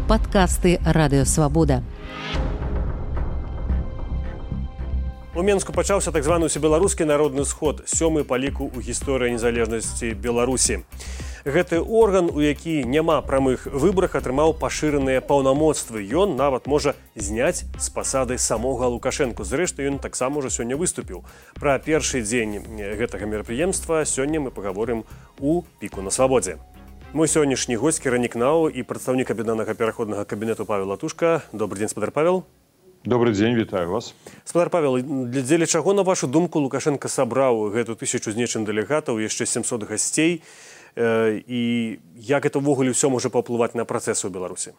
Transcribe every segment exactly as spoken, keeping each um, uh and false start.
Падкасты Радыёвабода. У Менску пачаўся так званы ўсебеларускі народны сход, сёмы па ліку ў гісторыі незалежнасці Беларусі. Гэты орган, у які няма прамых выбарах, атрымаў пашыраныя паўнамоцтвы. Ён нават можа зняць з пасады самога Лукашэнку. Зрэшты, ён таксама ўжо сёння выступіў. Пра першы дзень гэтага мерапрыемства сёння мы пагаворым у піку на свабодзе. Мой сённяшні госць кіраўнік НАУ і прадстаўнік аб'яднанага пераходнага кабінету Павел Латушка. Добрый дзень, спадар Павел. Добрый дзень, вітаю вас. Спадар Павел, дзеля чаго, на вашу думку, Лукашенко сабраў гэту тысячу з нечым дэлегатаў, яшчэ сямсот гасцей, і як это ўвогуле ўсё можа паўплываць на працэсы ў Беларусі?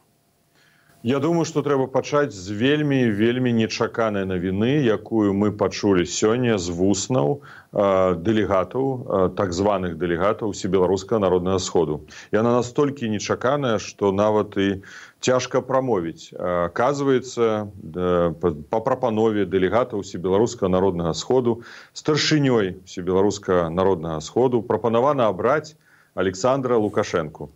Я думаю, што трэба пачаць з вельмі, вельмі нечаканай навіны, якую мы пачулі сёння з вуснаў э, дэлегатаў, э, так званых дэлегатаў Усебеларускага народнага сходу. Яна настолькі нечаканая, што нават і цяжка прамовіць. Аказваецца, э, па прапанове дэлегатаў Усебеларускага народнага сходу старшынёй Усебеларускага народнага сходу прапанавана абраць Александра Лукашэнку.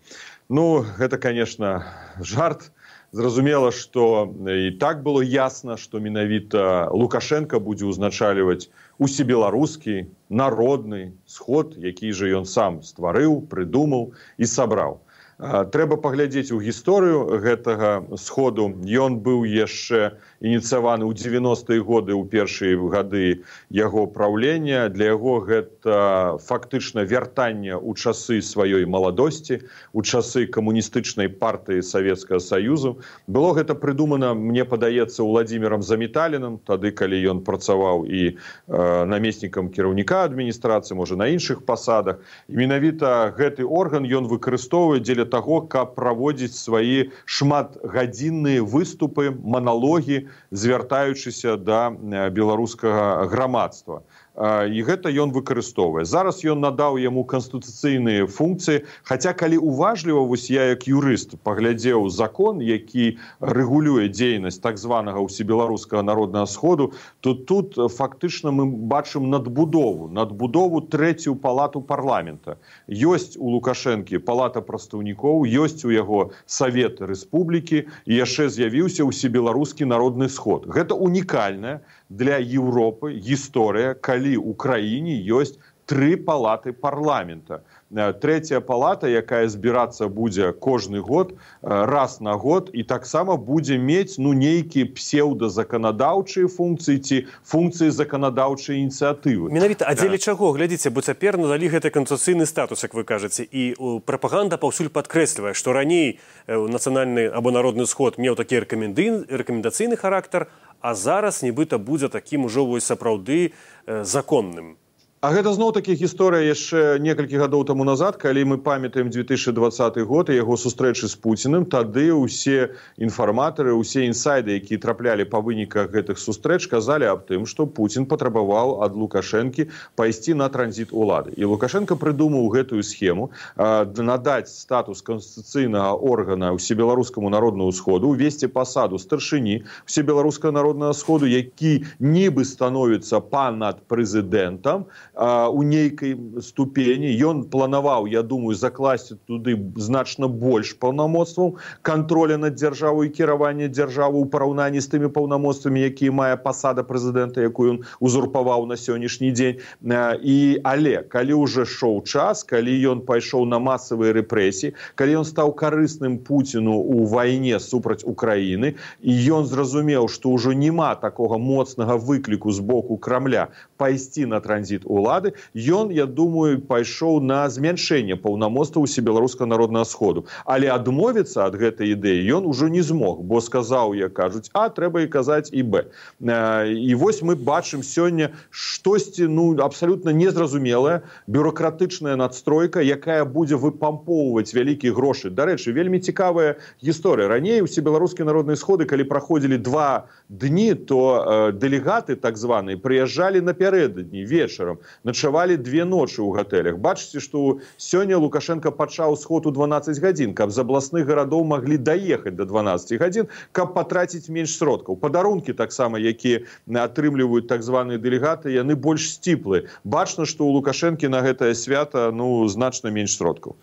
Ну, гэта, конечно, жарт. Зразумела, што і так было ясна, што менавіта Лукашенко будзе ўзначальваць усебеларускі народны сход, які жа ён сам стварыў, прыдумаў і сабраў. Трэба паглядзець у гісторыю гэтага сходу. Ён быў яшчэ ініцыяваны ў дзевяностыя годы, ў першыя гады яго праўлення. Для яго гэта фактычна вяртанне ў часы сваёй маладосці, у часы камуністычнай партыі Савецкага Саюзу. Было гэта прыдумана, мне падаецца, Уладзімірам Заметалінам, тады, калі ён працаваў і э, намеснікам кіраўніка адміністрацыі, можа, на іншых пасадах. І менавіта гэты орган ён выкарыстоўвае дзеля таго, каб праводзіць свае шматгадзінныя выступы, маналогі, звяртаючыся да беларускага грамадства. І гэта ён выкарыстоўвае. Зараз ён надаў яму канстытуцыйныя функцыі, хаця калі уважліва, вось я як юрыст паглядзеў закон, які рэгулюе дзейнасць так званага Усебеларускага народнага сходу, то тут фактычна мы бачым надбудову, надбудову трэцюю палату парламента. Ёсць у Лукашэнкі палата прадстаўнікоў, ёсць у яго Савет Рэспублікі і яшчэ з'явіўся Усебеларускі народны сход. Гэта унікальная для Еўропы гісторыя, калі ў краіне ёсць тры палаты парламента. Трэцяя палата, якая збірацца будзе кожны год, раз на год, і таксама будзе мець ну, нейкія псеўдазаканадаўчыя функцыі ці функцыі заканадаўчай ініцыятывы. Менавіта, а дзеля чаго? Глядзіце, бо цяпер надалі гэты канстытуцыйны статус, як вы кажаце, і прапаганда паўсюль падкрэслівае, што раней нацыянальны або народны сход меў такі рэкамендацыйны характар, а зараз нібыта будзе такім ужо вось сапраўды законным. А гэта зноў-такі гісторыя яшчэ некалькі гадоў таму назад, калі мы памятаем две тысячы двадцаты год і яго сустрэчы з Пуціным, тады ўсе інфарматары, ўсе інсайды, якія траплялі па выніках гэтых сустрэч, казалі аб тым, што Пуцін патрабаваў ад Лукашэнкі пайсці на транзіт улады. І Лукашенко прыдумаў гэтую схему, надаць статус канстытуцыйнага органа Усебеларускаму народнаму сходу, увесці пасаду старшыні Усебеларускага народнага сходу, які нібы становіцца панад прэзідэнтам, у нейкай ступені. Ён планаваў, я думаю, закласці туды значна больш паўнамоцтваў контроля над дзяржавой і кіравання дзяржавы ў параўнанні з тымі паўнамоцтвамі, якія мае пасада прэзідэнта, якую ён узурпаваў на сённяшні дзень. І, але, калі ўжо шоў час, калі ён пайшоў на масавыя рэпрэсіі, калі ён стаў карысным Пуціну ў вайне супраць Украіны, і ён зразумеў, што ўжо няма такога моцнага выкліку з боку Крамля пайсці на транзіт улады, ён, я думаю, пайшоў на змяншэнне паўнамоцтваў Усебеларускага народнага сходу. Але адмовіцца ад гэтай ідэі ён ужо не змог, бо сказаў, як кажуць, а, трэба і казаць і б. І вось мы бачым сёння штосьці ну, абсалютна незразумелая, бюрократычная надстройка, якая будзе выпампоўваць вялікія грошы. Дарэчы, вельмі цікавая гісторыя. Раней Усебеларускія народныя сходы, калі праходзілі два дні, то э, дэлегаты, так званыя, прыязджалі напярэдадні, вечарам, начавалі две ночы ў гатэлях. Бачыце, што сёння Лукашенко пачаў сход у дванаццаць гадзін, каб з абласных гарадоў маглі даехаць да дванаццаці гадзін, каб патраціць менш сродкаў. Падарункі таксама, якія атрымліваюць так званыя дэлегаты, яны больш сціплыя. Бачна, што ў Лукашэнкі на гэтае свята ну, значна менш сродкаў.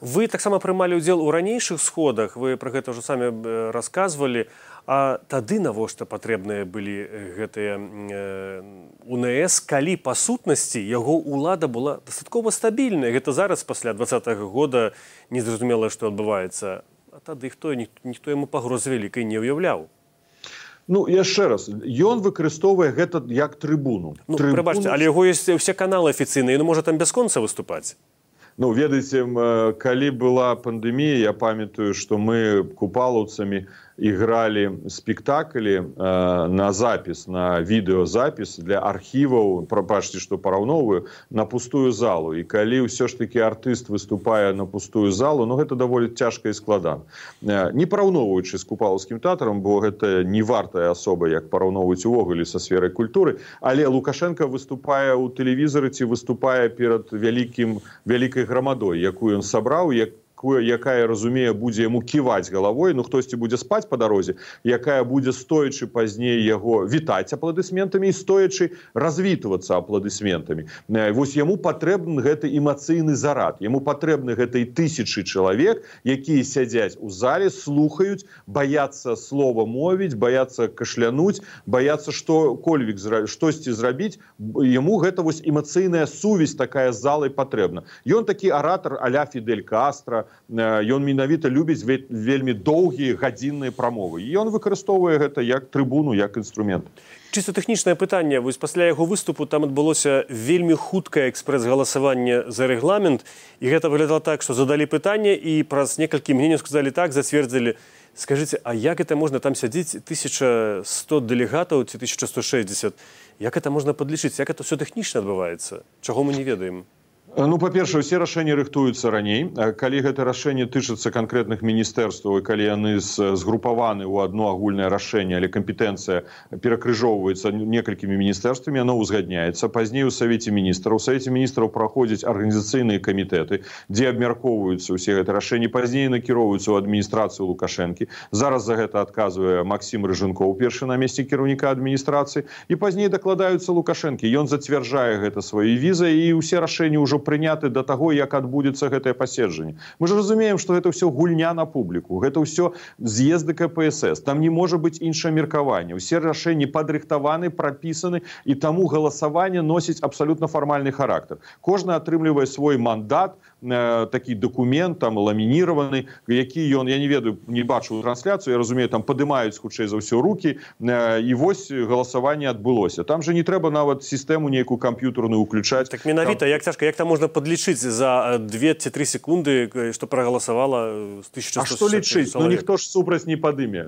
Вы таксама прымалі ўдзел у ранейшых сходах, вы пра гэта ўжо самі расказвалі, а тады навошта патрэбныя былі гэтыя УНС, калі па сутнасці яго ўлада была дастаткова стабільная. Гэта зараз пасля двадцатага года незразумела, што адбываецца. А тады хто, ніхто яму пагроз вялікай не ўяўляў. Ну, яшчэ раз, ён выкарыстоўвае гэта як трыбуну. Ну, трыбуну... прабачце, але яго ёсць усе каналы афіцыйныя, ён можа там бясконца выступаць. Ну, ведаеце, калі была пандэмія, я памятаю, што мы купалаўцамі играли спектакли э, на запись, на видеозапись для архивов, прабачце, что параўноўваю, на пустую залу. И калі ўсё ж таки артист выступае на пустую залу, ну, гэта даволі цяжка і складана. Э, не параўноўваючы з купалаўскім тэатрам, бо гэта не вартая асоба, як параўноўваць увогуле са сферай культуры, але Лукашенко выступае ў тэлевізары ці выступае перад вялікім, вялікай грамадой, якую ён сабраў, як якая, разумее, будзе яму ківаць галавой, ну хтосьці будзе спаць па дарозе, якая будзе стоячы пазней яго вітаць апладысментамі і стоячы развітвацца апладысментамі. Вось яму патрэбны гэты эмацыйны зарад, яму патрэбны гэтай тысячы чалавек, якія сядзяць у зале, слухаюць, баяцца слова мовіць, баяцца кашлянуць, баяцца што-кольвік штосьці зрабіць, яму гэта вось эмацыйная сувязь такая з залай патрэбна. Ён такі аратар а-ля Фідель Кастра, ён менавіта любіць вельмі доўгія гадзінныя прамовы. І ён выкарыстоўвае гэта як трыбуну, як інструмент. Чыста тэхнічнае пытанне. Вось пасля яго выступу там адбылося вельмі хуткае экспрэс-галасаванне за рэгламент. І гэта выглядала так, што задалі пытанне і праз некалькі мгненняў сказалі так, зацвердзілі. Скажыце, а як это можна там сядзіць тысяча сто дэлегатаў ці тысяча сто шэсцьдзесят? Як это можна падлічыць? Як это ўсё тэхнічна адбываецца? Чаго мы не ведаем? Ну, па-першае, усе рашэнні рыхтуюцца раней. Калі гэта рашэнне тычыцца канкрэтных міністэрстваў, і калі яны згрупаваны ў адно агульнае рашэнне, але кампетэнцыя перакрыжоўваецца некалькімі міністэрствамі, яно ўзгадняецца. Пазней у Савеце міністраў. У Савеце міністраў праходзяць арганізацыйныя камітэты, дзе абмяркоўваюцца ўсе гэтыя рашэнні, пазней накіроўваюцца ў адміністрацыю Лукашэнкі. Зараз за гэта адказвае Максім Рыжынкоў, першы намеснік кіраўніка адміністрацыі, і пазней дакладаюцца Лукашэнкі. Ён зацвярджае гэта сваёй візай, і ўсе рашэнні ўжо прыняты да таго, як адбудзецца гэтае паседжанне. Мы ж разумеем, што гэта ўсё гульня на публіку, гэта ўсё з'езды ка пэ эс эс, там не можа быць іншае меркаванне. Усе рашэнні падрыхтаваны, прапісаны, і таму галасаванне носіць абсалютна фармальны характар. Кожны атрымлівае свой мандат, э, такі дакумент, там, ламініраваны, які ён, я не ведаю, не бачу трансляцыю, я разумею, там падымаюць хутчэй за ўсё рукі, э, і вось галасаванне адбылося. Там же не трэба нават сістэму нейкую камп'ютарную ўключаць. Так менавіта, як цяжка, як там можна падлічыць за две ці тры секунды, што прагаласавала з тысяча сто А што лічыць? Ну ніхто ж супраць не падыме.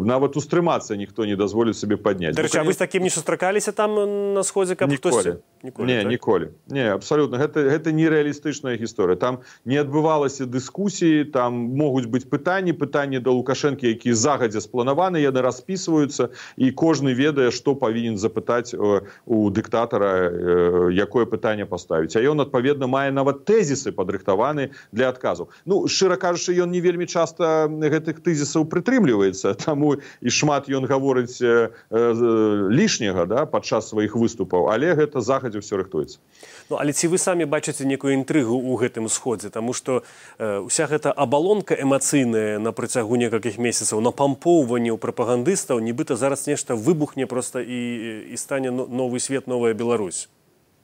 Нават устрымацца ніхто не дазволіць сабе падняць. Дарэчы, а вы з такім не сустракаліся там на сходзе, каб хтосьці? Ніколі. Не, ніколі. Не, абсалютна. Гэта, гэта нереалістычная гісторыя. Там не адбывалася дыскусіі, там могуць быць пытанні, пытанні да Лукашэнкі, якія загадзя спланаваны, яны распісваюцца, і кожны ведае, што павінен запытаць у дыктатара, якое пытанне паставіць. А ён, адпаведна, мае нават тэзісы падрыхтаваны для адказаў. Ну, шчыра кажучы, ён не вельмі часта гэтых тэзісаў прытрымліваецца, таму і шмат ён гаворыць э, э, лішняга, да, падчас сваіх выступаў, але гэта загадзя ўсё рыхтуецца. Ну, але ці вы самі бачыце некую інтрыгу ў гэтым сходзе? Таму што э, ўся гэта абалонка эмацыйная на працягу некалькіх месяцаў, напампоўванне ў прапагандыстаў, нібыта зараз нешта выбухне проста і, і стане новы свет, новая Беларусь.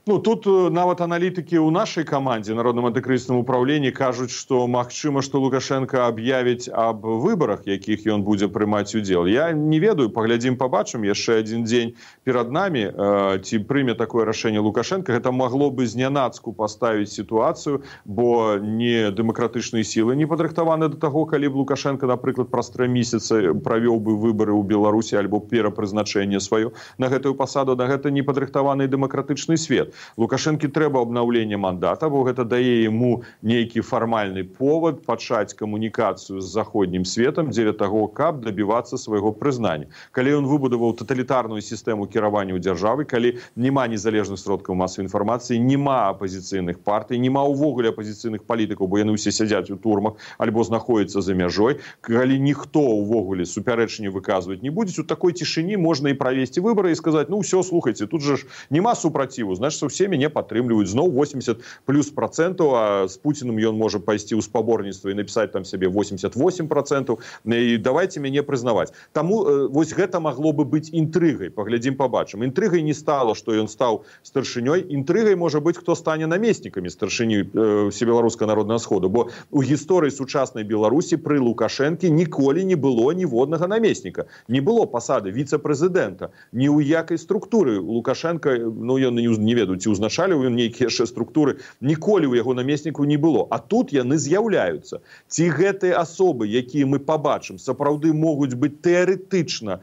Ну, тут нават аналітыкі ў нашай камандзе, Народным антыкрызісным управленні, кажуць, што магчыма, што Лукашенко аб'явіць аб выбарах, якіх ён будзе прымаць удзел. Я не ведаю, паглядзім, пабачым, яшчэ адзін дзень перад намі, э, ці прыме такое рашэнне Лукашенко. Гэта магло бы знянацку паставіць сітуацыю, бо не дэмакратычныя сілы не падрыхтаваны да таго, калі б Лукашенко, напрыклад, праз тры месяцы правёў бы выбары ў Беларусі альбо перапрызначэнне сваё на гэтую пасаду, на гэта не падрыхтаваны дэмакратычны свет. Лукашэнкі трэба абнаўленне мандата, бо гэта дае яму нейкі фармальны повод пачаць камунікацыю з заходнім светам дзеля таго, каб дабівацца свайго прызнання. Калі ён выбудаваў таталітарную сістэму кіравання ў дзяржавы, калі няма незалежных сродкаў масавай інфармацыі, няма апазіцыйных партый, няма ўвогуле апазіцыйных палітыкаў, бо яны ўсе сядзяць у турмах альбо знаходзяцца за мяжой, калі ніхто ўвогуле супярэчанне выказваць не будзе, у такой цішыні можна і правесці выбары і сказаць: ну ўсё, слухайце, тут жа ж няма супраціву, значыць што ўсе мяне падтрымліваюць. Зноў восемьдесят плюс процентаў, а з Пуціным ён можа пайсці ў спаборніцтва і напісаць там сябе восемьдесят восемь процентаў. І давайте мяне прызнаваць. Таму вось гэта магло бы быць інтрыгай. Паглядзім, пабачым. Інтрыгай не стала, што ён стаў старшынёй. Інтрыгай можа быць, хто стане намеснікамі старшыні Усебеларускага народнага сходу. Бо у гісторыі сучаснай Беларусі пры Лукашэнкі ніколі не было ніводнага намесніка. Не было пасады віцэ-прэзідэнта. Ні ў якай структуры. Лукашенко, ну, ён не ведаю, ці ўзначаліў ён нейкія яшчэ структуры. Ніколі ў яго намеснікаў не было. А тут яны з'яўляюцца. Ці гэтыя асобы, якія мы пабачым, сапраўды могуць быць тэарэтычна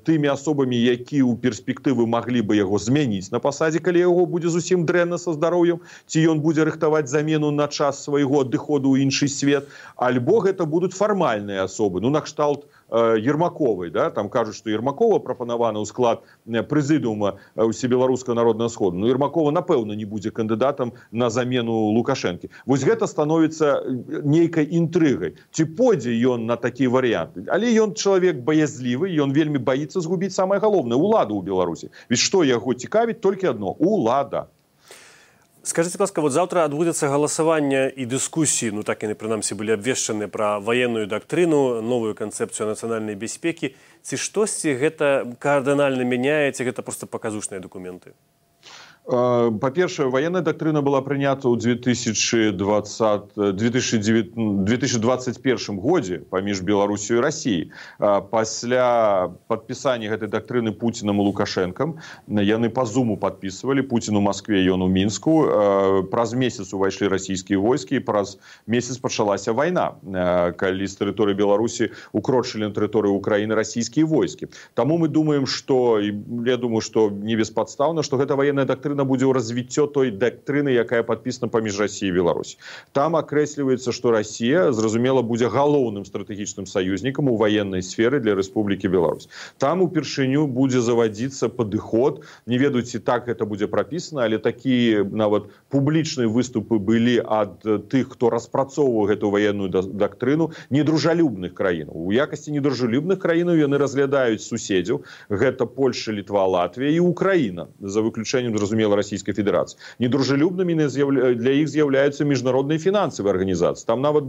тымі асобамі, якія ў перспектывы маглі бы яго змяніць на пасадзе, калі яго будзе зусім дрэнна са здароўем, ці ён будзе рыхтаваць замену на час свайго адыходу ў іншы свет, альбо гэта будуць фармальныя асобы, ну, накшталт Ермаковай, да? Там кажуць, што Ермакова прапанавана ў склад прэзідыума Усебеларускага народнага сходу. Ну, Ермакова, напэўна, не будзе кандыдатам на замену Лукашэнкі. Вось гэта становіцца нейкай інтрыгай. Ці пойдзе ён на такі варыянт? Але ён чалавек баязлівы, ён вельмі баіцца згубіць самае галоўнае — уладу ў Беларусі. Ведь што яго цікавіць? Толькі адно — улада. Скажите, ласка, вот завтра адбудзецца галасаванне і дыскусіі, ну так яны прынамсі былі абвешчаны, пра ваенную дактрыну, новую канцэпцыю нацыянальнай бяспекі. Ці штосьці гэта кардынальна мяняе, ці гэта проста паказушныя дакументы? Па-першае, военная доктрина была прынята ў две тысячи двадцать первом годзе паміж Беларусью і Россией. Пасля падпісання гэтай доктрины Путиным і Лукашенком яны по зуму подписывали, Путин у Москве, ён у Мінску. Праз месяц увайшлі расійскія войскі, і праз месяц пачалася вайна, калі з тэрыторыі Беларусі укрочылі на тэрыторыю Украины расійскія войскі. Таму мы думаем, что, я думаю, что не беспадстаўна, что гэта военная доктрина будзе ў развіццё той дактрыны, якая падпісана паміж Расіяй і Беларусі. Там акрэсліваецца, што Расія, зразумела, будзе галоўным стратэгічным саюзнікам у ваеннай сферы для Рэспублікі Беларусь. Там упершыню будзе завадзіцца падыход, не ведаю, ці так гэта будзе прапісана, але такія нават публічныя выступы былі ад тых, хто распрацоўваў гэту ваенную дактрыну, недружалюбных краінаў. У якасці недружалюбных краінаў яны разглядаюць суседзяў, гэта Польша, Літва, Латвія і Украіна, за выключэннем, зразумела, Российской Федерации. Недружелюбными для их з'являюцца міжнародныя фінансавыя арганізацыі. Там нават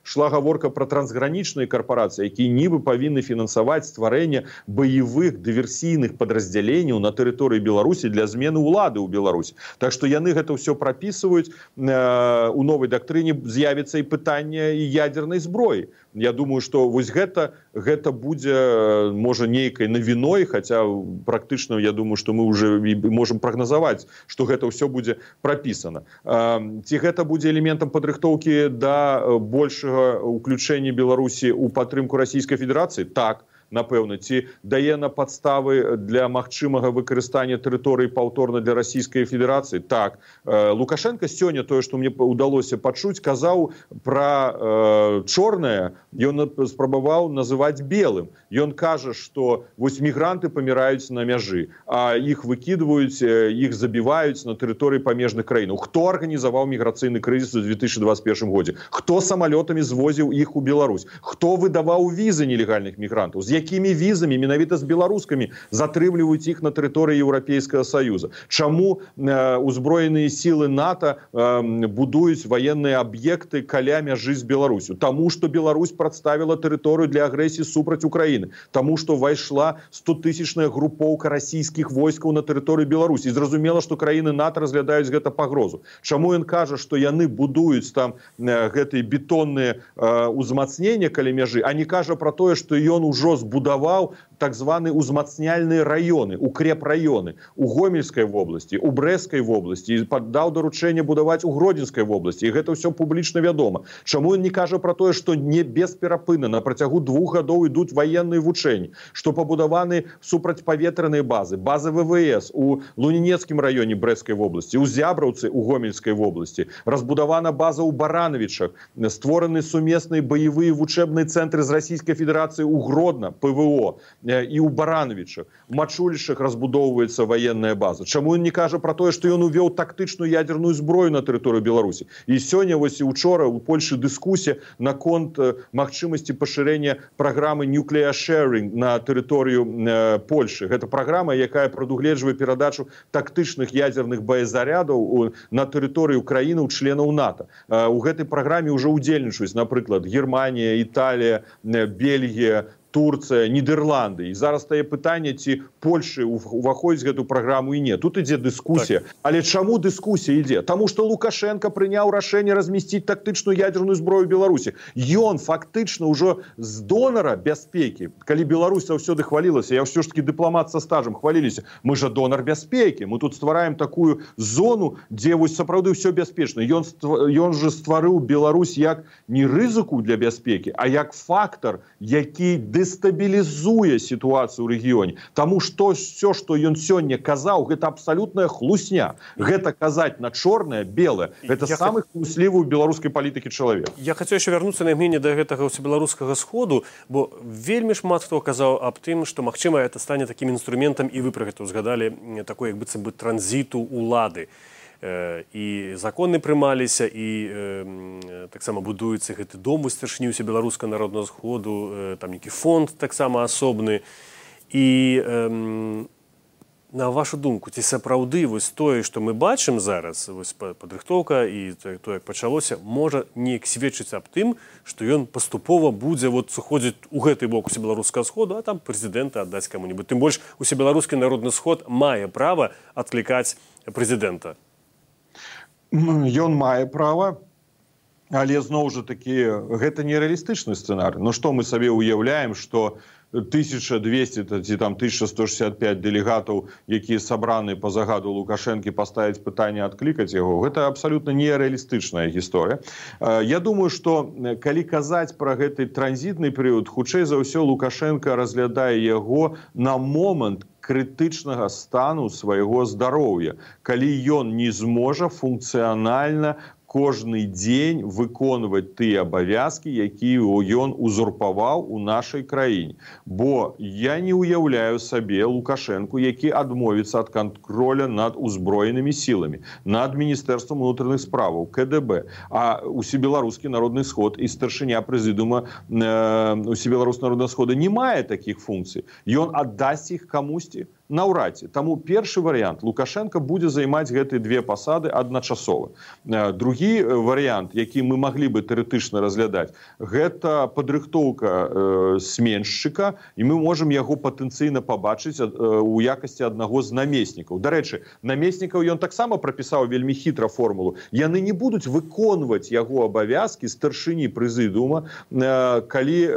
шла гаворка про трансгранічныя карпорацыі, якія нібы павінны фінансаваць стварэнне баявых дыверсійных падраздзяленняў на тэрыторыі Беларусі для змены ўлады ў Беларусі. Так што яны гэта ўсё прапісваюць. У новай дактрыне з'явіцца і пытанне і ядзернай зброі. Я думаю, што вось гэта, гэта будзе, можа, нейкай навіной, хаця практычна, я думаю, што мы уже можам прагназаваць, што гэта ўсё будзе прапісана. Ці гэта будзе элементам падрыхтоўкі да большага ўключэння Беларусі ў падтрымку Расійскай Федэрацыі? Так, напэўна. Ці дае на падставы для магчымага выкарыстання тэрыторыі паўторна для Расійскай Федэрацыі? Так. Лукашенко сёння, тое, што мне ўдалося пачуць, казаў пра э, чорнае, ён спрабаваў называць белым. Ён кажа, што вось мігранты паміраюць на мяжы, а іх выкідваюць, іх забіваюць на тэрыторыі памежных краінаў. Хто арганізаваў міграцыйны крызіс у две тысячи двадцать первом годзе? Хто самалётамі звозіў іх у Беларусь? Хто выдаваў візы нелегальных мігрантаў? З якімі візамі, менавіта з беларускамі, затрымліваюць іх на тэрыторыі Еўрапейскага Саюза? Чаму э, узброеныя сілы НАТО э, будуюць ваенныя аб'екты каля мяжы з Беларусю? Таму, што Беларусь прадставіла тэрыторыю для агрэсіі супраць Украіны. Таму, што вайшла стотысячная групоўка расійскіх войскаў на тэрыторыю Беларусі. І зразумела, што краіны НАТО разглядаюць гэта пагрозу. Чаму ён кажа, што яны будуюць там э, гэтыя бетонныя э, узмацнення каля мяжы, а не кажа пра тое, што ён ужо збудаваў так званы узмацняльныя раёны, укрепраёны у Гомельскай вобласці, у Брэскай вобласці, і паддаў даручэнне будаваць у Гродзенскай вобласці. І гэта ўсё публічна вядома. Чаму ён не кажа пра тое, што не бесперапынна на працягу двух гадоў ідуць ваенныя вучэнні, што пабудаваны супрацьпаветраныя базы, базы вэ вэ эс у Лунінецкім раёне Брэскай вобласці, у Зябраўцы у Гомельскай вобласці, разбудавана база ў Баранавічах, створаны сумесныя баявыя вучэбныя цэнтры з Расійскай Федэрацыі ў Гродна, пэ вэ о. і ў Барановичах, у Мачулішах разбудоўваецца ваенная база. Чаму ён не кажа про тое, што ён увёў тактычную ядерную зброю на тэрыторыю Беларусі? І сёння, вось і учора у Польшы дыскусія наконт магчымасці пашырэння праграмы Nuclear Sharing на тэрыторыю э, Польшы. Гэта праграма, якая прадугледжвае перадачу тактычных ядерных боезарядаў на тэрыторыю краіны ў членаў НАТО. Э, у гэтай праграме ўжо удзельнічаюць, напрыклад, Германія, Італія, Бельгія, Турция, Нидерланды. І зараз стае пытанне, ці Польшы уваходзіць гэту праграму і не. Тут ідзе дыскусія. Так. Але чаму дыскусія ідзе? Таму што Лукашенко прыняў рашэнне размесціць тактычную ядерную зброю ў Беларусі. Ён фактычна ўжо з донара бяспекі, калі Беларусь заўсёды хвалілася, я ўсё ж таки дыпламат са стажам, хваліліся, мы жа донар бяспекі, мы тут ствараем такую зону, дзе вось сапраўды ўсё бяспечна. Ён, ён же стварыў Беларусь як не рызыку для бяспекі, а як фактор, які дестабілізуе сітуацыю ў рэгіёне. Таму што все, што ён сёння казаў, гэта абсалютная хлусня. Гэта казаць на чорнае, белае. Гэта я самы хлуслівы ў беларускай палітыкі чалавек. Я хацеў яшчэ вярнуцца на імгненне да гэтага ўсебеларускага сходу, бо вельмі шмат хто казаў аб тым, што, магчыма, гэта стане такім інструментам, і вы пра гэта ўзгадалі, такой, як быццам бы, транзіту улады. І законы прымаліся, і э, таксама будуецца гэты дом у старшыні ўсебеларускага народнага сходу, э, там нейкі фонд таксама асобны. І э, на вашу думку, ці сапраўды вось тое, што мы бачым зараз, вось падрыхтоўка і тое, як пачалося, можа неяк сведчыць аб тым, што ён паступова будзе вот сыходзіць у гэты бок усебеларускага сходу, а там прэзідэнта аддаць каму-небудзь. Тым больш усебеларускі народны сход мае права адклікаць прэзідэнта. Ён мае права, але зноў жа такі гэта нереалістычны сцэнарый. Ну што мы сабе уяўляем, што тысяча двести ці там тысяча сто шестьдесят пять дэлегатаў, якія сабраны па загаду Лукашэнкі, паставіць пытанне, адклікаць яго, гэта абсалютна нереалістычная гісторыя. Я думаю, што калі казаць пра гэты транзітны перыяд, хутчэй за ўсё Лукашенко разглядае яго на момант крытычнага стану свайго здароўя, калі ён не зможа функцыянальна кожны дзень выконваць тыя абавязкі, якія ён узурпаваў у нашай краіне. Бо я не ўяўляю сабе Лукашэнку, які адмовіцца ад кантроля над узброенымі сіламі, над Міністэрствам унутраных справаў, ка дэ бэ. А усебеларускі народны сход і старшыня прэзідыума э, усебеларускага народнага схода не мае такіх функцый. Ён аддасць іх камусьці? Наўрад ці. Таму першы варыянт. Лукашенко будзе займаць гэтыя две пасады адначасова. Другі варыянт, які мы маглі бы тэарэтычна разглядаць, гэта падрыхтоўка э, сменшчыка, і мы можам яго патэнцыйна пабачыць э, у якасці аднаго з намеснікаў. Дарэчы, намеснікаў ён таксама прапісаў вельмі хітра формулу. Яны не будуць выконваць яго абавязкі старшыні прэзідыума, э, калі э,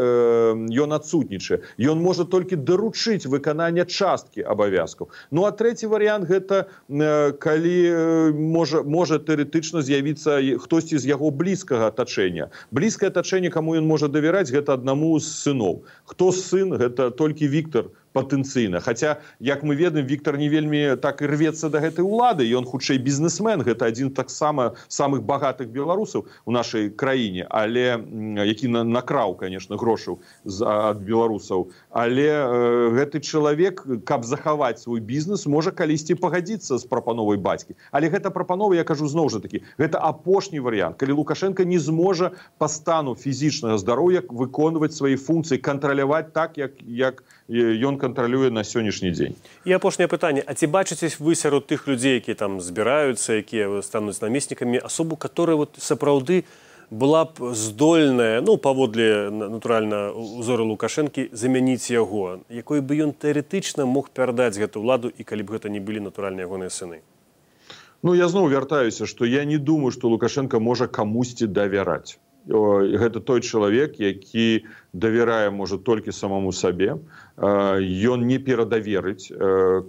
ён адсутнічае. Ён можа толькі даручыць выканання часткі абавязкаў. Ну а трэці варыянт гэта э, калі э, можа, можа тэарэтычна з'явіцца хтосьці з яго блізкага атачэння. Блізкае атачэнне, каму ён можа давяраць, гэта аднаму з сыноў. Хто сын? Гэта толькі Віктор патэнцыйна. Хаця, як мы ведаем, Віктор не вельмі так і рвецца да гэтай улады, ён хутчэй бізнесмен, гэта адзін таксама самых багатых беларусаў у нашай краіне, але які на, накраў, конечно, грошаў ад беларусаў. Але э, гэты чалавек, каб захаваць свой бізнес, можа калісьці пагадзіцца з прапановай бацькі. Але гэта прапанова, я кажу зноў жа такі, гэта апошні варыянт, калі Лукашенко не зможа па стану фізічнага здароўя выконваць свае функцыі, кантраляваць так, як, як ён кантралюе на сённяшні дзень. І апошняе пытанне. А ці бачыце вы сярод тых людзей, якія там збіраюцца, якія стануць намеснікамі, асобу, которая вот сапраўды была б здольная, ну, паводле, натуральна, узору Лукашэнкі, замяніць яго, якой бы ён тэарэтычна мог перадаць гэту ўладу, і калі б гэта не былі натуральна ягоныя сыны? Ну, я зноў вяртаюся, што я не думаю, што Лукашенко можа камусьці давяраць. Гэта той чалавек, які давярае, можа, толькі самому сабе. Ён не перадаверыць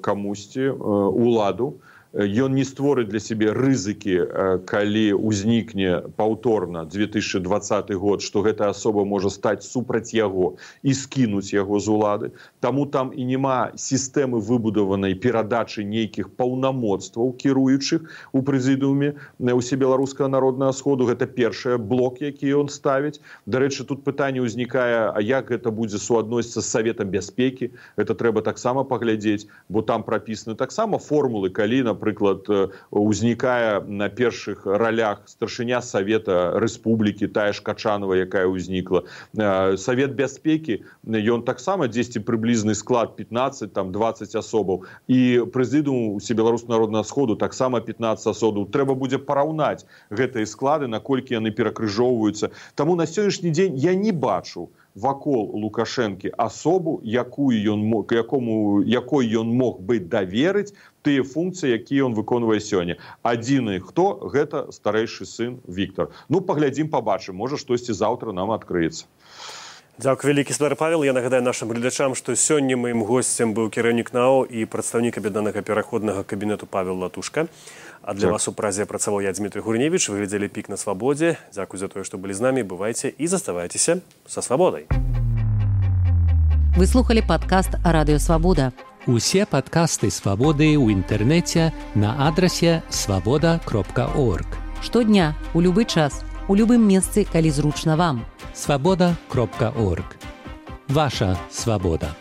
камусьці уладу. ён не створыць для сябе рызыкі, калі ўзнікне паўторна две тысячи двадцаты год, што гэтая асоба можа стаць супраць яго і скінуць яго з улады. Таму там і няма сістэмы выбудаванай перадачы нейкіх паўнамоцтваў кіруючых у прэзідыуме Усебеларускага народнага сходу. Гэта першы блок, які ён ставіць. Дарэчы, тут пытанне ўзнікае, а як гэта будзе суадносіцца з Саветам бяспекі? Гэта трэба таксама паглядзець, бо там прапісаны таксама формулы, калі, напрыклад, узнікае на першых ролях старшыня Савета Рэспублікі, тая ж Качанова, якая ўзнікла. Савет бяспекі, ён таксама дзесьці прыблізны склад пятнаццаць, там двадцать асобаў. І прэзідыум Усебеларускага народнага сходу таксама пятнаццаць асобаў. Трэба будзе параўнаць гэтыя склады, наколькі яны перакрыжоўваюцца. Таму на сённяшні дзень я не бачу вакол Лукашэнкі асобу, якую ён мог, якому, якой ён мог бы даверыць тыя функцыі, якія ён выконвае сёння. Адзіны хто? Гэта старэйшы сын Віктор. Ну, паглядзім, пабачым, можа штосьці заўтра нам адкрыецца. Дзякуй вялікі, спадар Павел. Я нагадаю нашым гледачам, што сёння маім госцем быў кіраўнік НАО і прадстаўнік аб'яднанага пераходнага кабінету Павел Латушка. А для вас у празе працаваў я, Дмітрий Гурневич. Вы глядзелі «Пік на свабодзе». Дзякуй за тое, што былі з намі. Бывайце і заставайцеся са свабодай. Вы слухали падкаст «Радыё Свабода». Усе падкасты «Свабоды» ў інтэрнэце на адрасе свабода кропка орг. Штодня, у любы час, у любым месцы, калі зручна вам. свабода кропка орг. Ваша свабода.